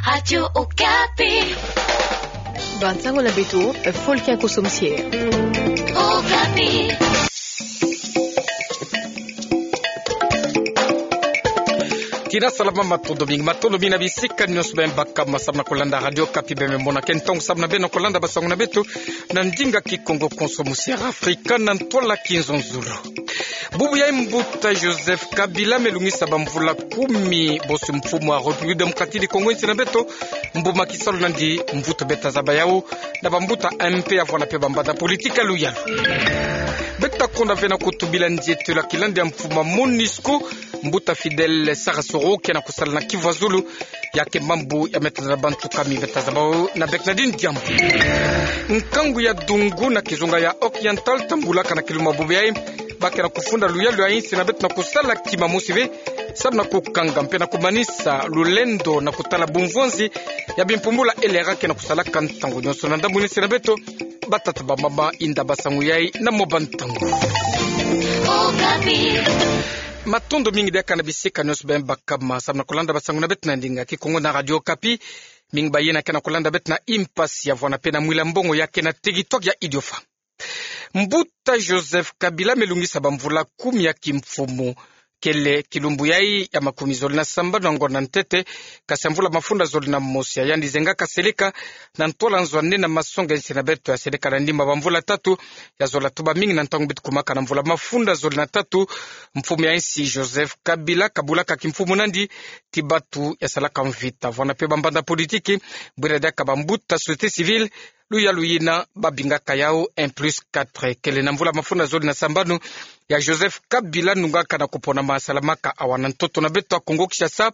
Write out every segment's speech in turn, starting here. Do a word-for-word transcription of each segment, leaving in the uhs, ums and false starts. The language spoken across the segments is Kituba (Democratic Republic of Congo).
Radio Okapi. Bansango na beto, Folkin Koso Mosier. Okapi. Tina salama, matondo mingi, matondo mingi na bisika nyonso bemba kama samu na kolanda Radio Okapi. Bembe mona ke ntangu samu na beno kolanda bansango na beto na ndinga Kikongo, Konso Mosier Afrika na ntwala Kinzonzolo. Bubu ya mbuta Joseph Kabila me lungisa bamvula kumi bosi mfumu wa République Démocratique du Congo, insi na beto, mbuma kisalu nandi mvutu beta zaba yawu na bambuta M P ya vwanda pe bambanda politique ya luyalu. Beta konda ve na kutubila nzietelo ya kilandi ya mfumu wa MONUSCO, mbuta Fidèle Sarasoro, ke na kusala na Kivu ya Zulu, ya ke mambu ya meta na bantu kumi beta zaba yawu na Bernardine Diambu. Nkangu ya Dungu na kizunga ya Oriental tambulaka na kilumbu bubu yayi, ba ke na kufunda luyalu ya insi na beto na kusala kima mosi ve, samu na kukanga mpe na kumanisa lulendo na kutala bumvonzi ya bimpumbula L R A ke na kusalaka ntangu nyonso na ndambu na insi na beto. Batata, bamama, inda, bansangu yayi na mwa bantangu. Matondo mingi diaka na bisika nyonso bemba kama samu na kolanda bansangu na beto na ndinga Kikongo na Radio Okapi. Mingi bayina ke na kolanda beto na impasi ya vwanda pe na mwila mbongo ya ke na territoire ya Idiofa. Mbuta Joseph Kabila me lungisa bamvula kumi ya kimfumu. Kele kilumbu yayi ya makumi zole na sambanu ya ngonda ntete, kasi ya mvula mafunda zole na mosi ya yandi zengaka seleka na ntwala nzo ya nne na masonga ya insi na beto ya seleka na ndimba bamvula tatu. Ya zola tuba mingi na ntangu bitukumaka na mvula mafunda zole na tatu, mfumu ya insi Joseph Kabila kabulaka kimfumu nandi ti batu ya salaka mvita, vwanda pe bambanda politique, bwira diaka bambuta société civile, luyalu yina babingaka yawu un plus quatre. Kele na mvula mafunda zole na sambanu ya Joseph Kabila nungaka na kupona ma salamaka awa na ntoto na beto ya Kongo Kinshasa,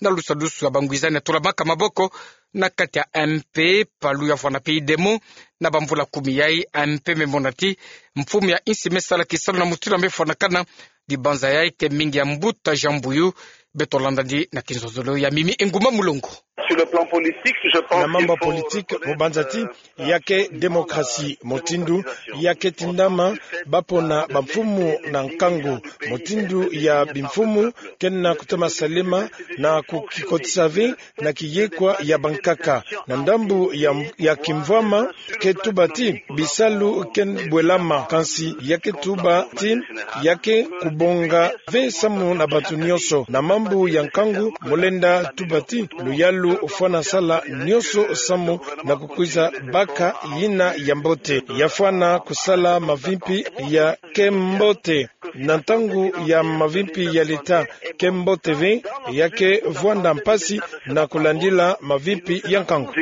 na lusadusu ya bangwizani ya tulamaka maboko na kati ya M P, palu ya vwanda pe UDEMO. Na bamvula kumi yayi, M P me mona ti mfumu ya insi me sala kisalu na mutindu ya me fwanakana. Dibanza yayi ke mingi ya mbuta Jean Mbuyu. Beto landa nandi na kinzonzolo ya Mimi Enguma Mulongo. Sur le plan politique, je pense... Na mambu ya politique, mu banza ti ya ke démocratie, mutindu ya ke tindama bapona bamfumu na nkangu, mutindu ya bimfumu ke na kutama salama na kukikotisa ve na kiyekwa ya bankaka. Na ndambu ya, ya kimvwama, ke tuba ti bisalu ke bwelama, kansi ya ke tuba ti ya ke kubonga ve samu na bantu nyonso. Na mambu ya nkangu, mu lenda tuba ti luyalu fwana sala nyonso samu na kukwiza baka yina ya mbote. Ya fwana kusala mavimpi ya ke mbote. Na ntangu ya mavimpi ya leta ke mbote ve, ya ke vwanda mpasi na kulandila mavimpi ya nkangu.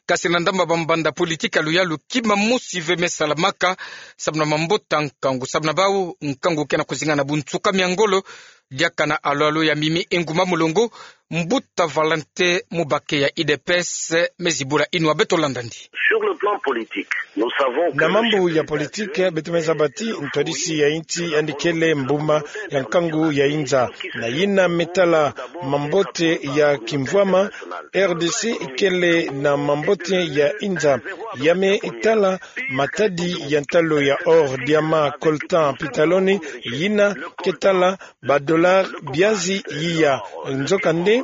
Kasi na ndambu ya bambanda politique ya luyalu, kima mosi ve me salamaka samu na mabota nkangu. Samu na bawu, nkangu ke na kuzinga na bunsuka mia ngolo. Diaka na alo-alo ya Mimi Enguma Mulongo, mbuta Valentin Mubake ya U D P S me zibula inwa. Beto landa nandi. Sur le plan politique, nous savons que... Na mambu ya politique, beto me zaba ti ntwadisi ya insi yandi kele mbuma ya nkangu ya inza. Na yina me tala mambote ya kimvwama, R D C kele na mambote ya inza. Ya me tala matadi ya ntalo ya or, diamant, coltan, pitaloni, yina ke tala ba dollar biazi yiya. Nzokande,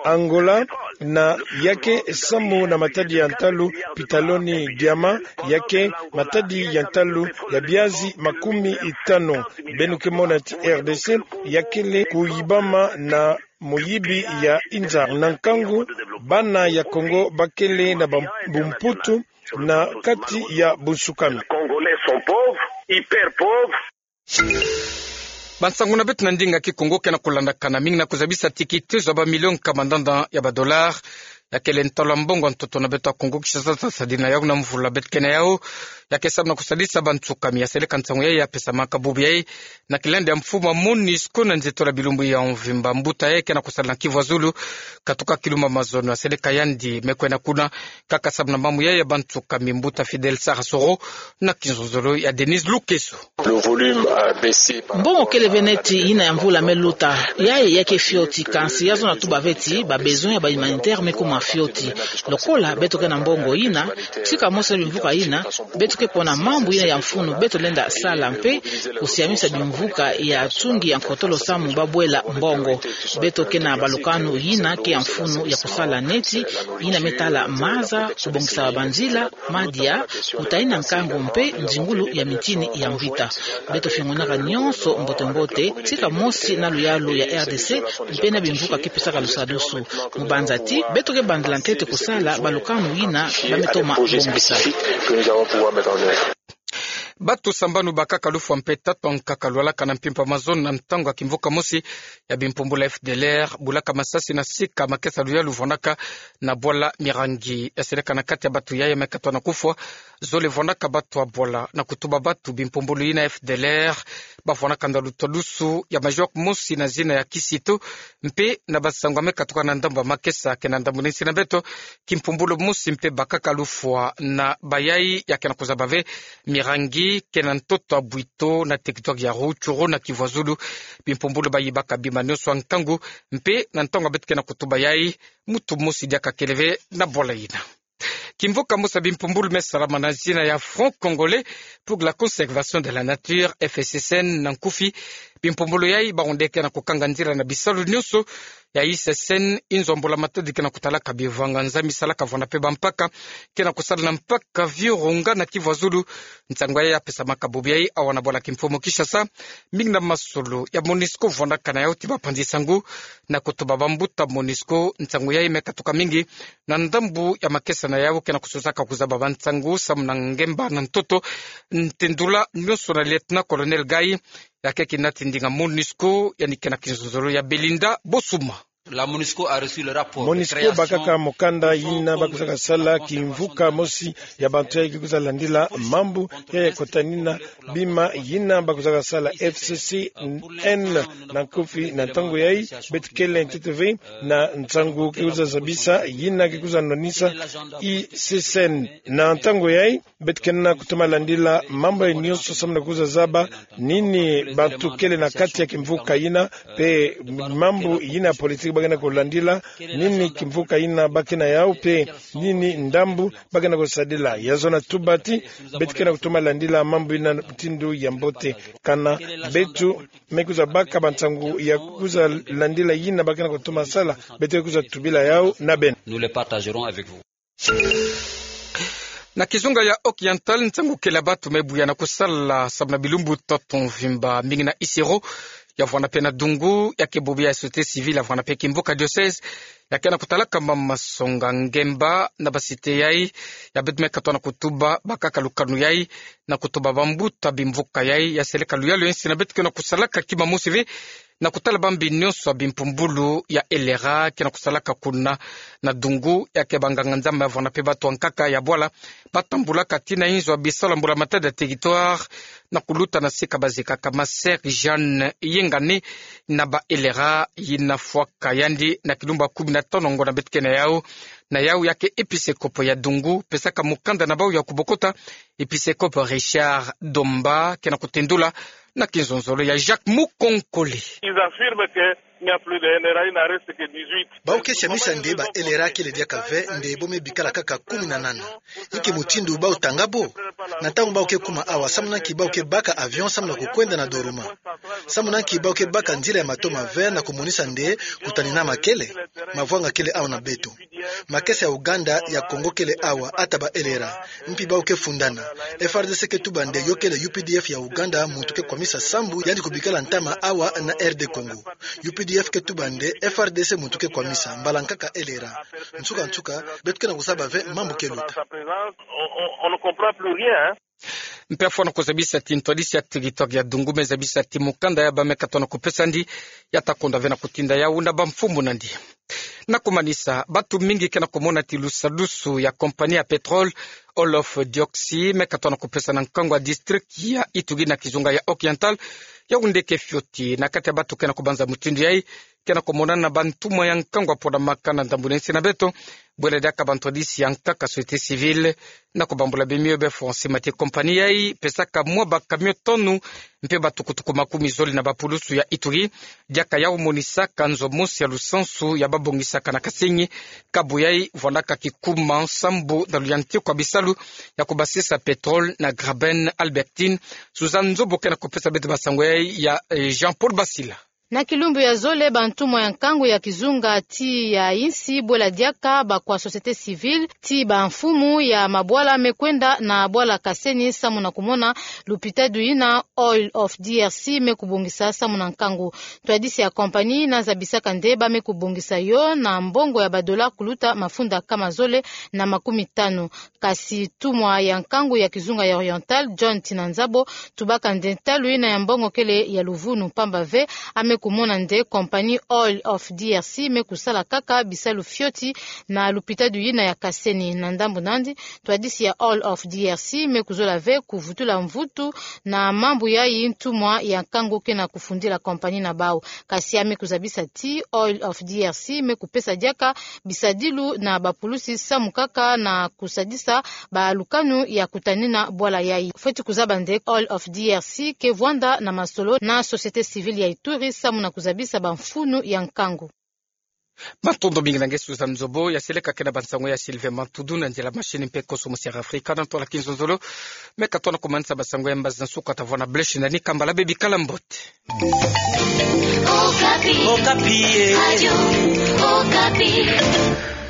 Angola, na ya ke samu na matadi ya ntalu, pitaloni, diamant, ya ke matadi ya ntalu ya biazi makumi tanu. Beno ke mona ti R D C ya kele kuyibama na muyibi ya inza. Na nkangu, bana ya Kongo ba kele na bam-, bumputu na kati ya bunsukami. Congolais sont pauvres, hyper pauvres. Bansangu na beto na ndinga Kikongo ke na kulandakana mingi na kuzabisa ti kitezo ya ba million nkama ndanda ya ba dollar ya kele ntalo ya mbongo ya ntoto na beto ya Kongo Kinshasa, sadina yawu na mvula beto ke na yawu, ya ke samu na kusadisa bansukami. Ya seleka nsangu yayi ya pesamaka bubu yayi na kilandi ya mfumu ya MONUSCO na nzietolo ya bilumbu ya mvimba. Mbuta yayi ke na kusala na Kivu ya Zulu, katuka kilumbu ya mazono. Ya seleka yandi me kwenda kuna kaka samu na mambu yayi ya bansukami. Mbuta Fidèle Sarasoro na kinzonzolo ya Denise Lukeso. Le volume a baissé par rapport à... Mbongo kele ve neti yina ya mvula me luta. Yayi ya ke fioti, kansi ya zona tuba ve ti ba besoin ya ba humanitaire me kuma fioti. Lokola beto ke na mbongo ina, tika mosi na bimvuka ina, beto ke pona mambu ina ya mfunu beto lenda sala mpe kusiamisa bimvuka ya tungi ya nkotolo samu babwela mbongo. Beto ke na balukanu ina ke ya mfunu ya kusala neti, ina me tala maza, kubongisa banzila, madia, kutahina nkangu mpe nzingulu ya mitini ya mvita. Beto fiongonaka nionso mbote-mbote, tika mosi na luyalu ya R D C, mpe na bimvuka ke pesaka lusadusu. Mu banza ti, beto ke bandila ntete kusala balukanu ina ba me toma bongisa. Bato sambanu bakaka lufwa mpe tatu ankaka lwalaka na mpimpa mazono na ntangu ya kimvuka mosi ya bimpumbulu ya F D L R, bulaka masasi na sika makesa luyalu vwanaka na bwala Mirangi. Ya seleka na kati ya bato yayi me katwa na kufwa, zole vwanaka bato ya bwala. Na kutuba bato, bimpumbulu ina F D L R bavwanaka na lutadusu ya major mosi na zina ya Kisito, mpe na basango ya me katuka na ndambu ya makesa ke na ndambu na nsi na beto, kimpumbulu mosi mpe bakaka lufwa na bayayi ya ke na kuzaba ve Mirangi ke na ntoto ya Bwito na territoire ya Rutshuru na Kivu ya Zulu. Bimpumbulu bayibaka bima nionso ya nkangu, mpe na ntangu ya beto ke na kutuba yayi, muntu mosi diaka kele ve na bwala ina. Kimvuka mosi ya bimpumbulu me salama na zina ya Front Congolais pour la Conservation de la Nature, F C C N na nkufi. Bimpumbulu yayi bawu nde ke na kukanga nzila na bisalu nionso ya I C C N, inzo mbula matadi ke na kutalaka bivanga nzami salaka vwanda mpe bampaka ke na kusala na mpaka Virunga na Kivu ya Zulu. Nsangu yayi ya pesamaka bubu yayi awa na bwala kimfumu Kinshasa, mingi na masolo ya MONUSCO vwandaka na yawu ti bapanzi nsangu. Na kutuba bambuta MONUSCO, nsangu yayi me katuka mingi na ndambu ya makesa na yawu ke na kusosaka kuzaba bansangu samu na ngemba na ntoto. Ntendula nionso na lieutenant-colonel Gayi, ya keke nati ndinga MONUSCO, yandi ke na kinzonzolo ya Belinda Bosuma. La MONUSCO a reçu le rapport de MONUSCO création bakaka mokanda yina ba kuzaka sala kimvuka mosi ya bantu yayi ke kwiza landila mambu yayi ya kotanina bima yina ba kuzaka sala F C C N na nkufi. Na ntangu yayi beto kele ntete ve na nsangu ke kwiza zabisa yina ke kwiza nwanisa I C C N. Na ntangu yayi beto ke na kutoma landila mambu yayi nionso samu na kwiza zaba nini bantu kele na kati ya kimvuka yina, mpe mambu yina ya politiki ba ke na kulandila, nini kimvuka yina ba ke na yawu, mpe nini ndambu ba ke na kusadila. Ya zona tuba ti beto ke na kutoma landila mambu yina mutindu ya mbote. Kana beto me kwiza baka bansangu ya kwiza landila yina ba ke na kutoma sala, beto ke kwiza tubila yawu na beno. Nous le partagerons avec vous. Na kizunga ya Occidental, nsangu kele ya bantu me buya na kusala samu na bilumbu ntoto mvimba, mingi na Isiro, ya vwanda mpe na Dungu, ya ke bubu ya société civile, ya vwanda mpe kimvuka diocèse, ya ke na kutalaka mama masonga ngemba na ba cité yayi. Ya beto me katwa na kutuba bakaka lukanu yayi, na kutuba bambuta bimvuka yayi, ya seleka luyalu ya nsi na beto ke na kusalaka kima mosi ve na kutala bambi nionso ya bimpumbulu ya L R A ke na kusalaka kuna na Dungu, ya ke banganga-Nzambi ya vwanda mpe bato ankaka ya bwala ba tambulaka tii na inzo ya bisalu ya mbula matadi ya territoire, na kuluta na sika bazikaka ma sœur Jeanne Yengani na ba L R A yina fwaka yandi na kilumbu ya kumi na tano ngonda beto ke na yawu. Na yawu ya ke episekopo ya Dungu pesaka mokanda na bawu ya kubokota, episekopo Richard Domba, ke na kutendula na kinzonzolo ya Jacques Mukonkole. Ils affirment que il n'y a plus de L R A, il n'en reste que dix-huit. Bawu ke siamisa nde ba L R A kele diaka ve, nde bo me bikala kaka kumi na nana. Inki mutindu bawu tanga bo? Na ntangu bawu ke kuma awa, samu na nki bawu ke baka avion samu na kukwenda na Doruma? Samu na nki bawu ke baka nzila ya matomo ya vert na kumonisa nde kutanina ma kele? Mavwanga kele awa na beto. Makesa ya Uganda, ya Congo kele awa, ata ba L R A. Mpi bawu ke fundana. F R D C ke tuba nde yo kele U P D F ya Uganda muntu ke kwamisa sambu yandi kubikala ntama awa na R D Congo. U P D F ke tuba nde F R D C muntu ke kwamisa, mbala nkaka L R A. Nsuka-nsuka, beto ke na kuzaba ve mambu ke luta. On, on, on ne comprend plus rien, hein. Mpe afwana kuzabisa ti ntwadisi ya territoire ya Dungu me zabisa ti mokanda ya ba me katwa na kupesa ndi, ya ta konda ve na kutinda yawu na bamfumu na ndi. Na kumanisa, bantu mingi ke na kumona ti lusadusu ya compagnie ya pétrole Wolof Dioxi me katwa na kupesa na nkangu ya district ya Ituri na kizunga ya Occidental, yawu nde ke fioti. Na kati ya bantu ke na kubanza mutindu yayi, ke na kumonana na bantumwa ya nkangu aponamaka na ndambu na insi na beto, bwela diaka bantwadisi ya nkaka société civile, na kubambula bimio be fonse mati compagnie yayi pesaka mwa bacamion tono mpe batukutuku makumi zole na bapulusu ya Ituri, diaka yau monisaka nzo mosi ya lusansu ya babongisaka na Kasenyi, kabu yayi vwandaka kikuma sambu na luyantikwa bisalu ya kubasisa pétrole na Graben Albertine. Suzanne Nzobo ke na kupesa beto basango yayi ya, eh, Jean-Paul Basila. Na kilumbu ya zole, bantumwa ya nkangu ya kizunga ti ya insi, bwela diaka bakwa société civile, ti bamfumu ya mabwala me kwenda na bwala Kasenyi samu na kumona lupitalu yina Oil of D R C me kubongisa samu na nkangu. Ntwadisi ya compagnie yina zabisaka nde ba me kubongisa yo na mbongo ya badola kuluta mafunda kama zole na makumi tanu. Kasi ntumwa ya nkangu ya kizunga ya Oriental, John Tinanzabo, tubaka nde ntalu yina ya mbongo kele ya luvunu, mpamba ve a me kumona nde compagnie Oil of D R C me kusala kaka bisalu fioti na lupitalu yina ya Kasenyi. Na ndambu nandi, ntwadisi ya Oil of D R C me kuzola ve kuvutula mvutu na mambu yayi ntumwa ya nkangu ke na kufundila compagnie na bau. Kasi a me kuzabisa ti Oil of D R C me kupesa diaka bisadilu na bapulusi samu kaka na kusadisa balukanu ya kutanina bwala yayi. Fweti kuzaba nde Oil of D R C ke vwanda na masolo na société civile ya Ituri samu na kuzabisa bamfunu ya nkangu. Matondo mingi na nge Suzanne Nzobo. Ya seleka ke na bansango ya Sylvain Mantudu na nzila machine mpe koso musi ya Afrika na ntwala kinzonzolo. Me ka tona kumanisa basango ya mbazi na nsuka, tavwanda, bless nani kambala, bikala mbote. Okapi. Okapi, eh. Radio Okapi.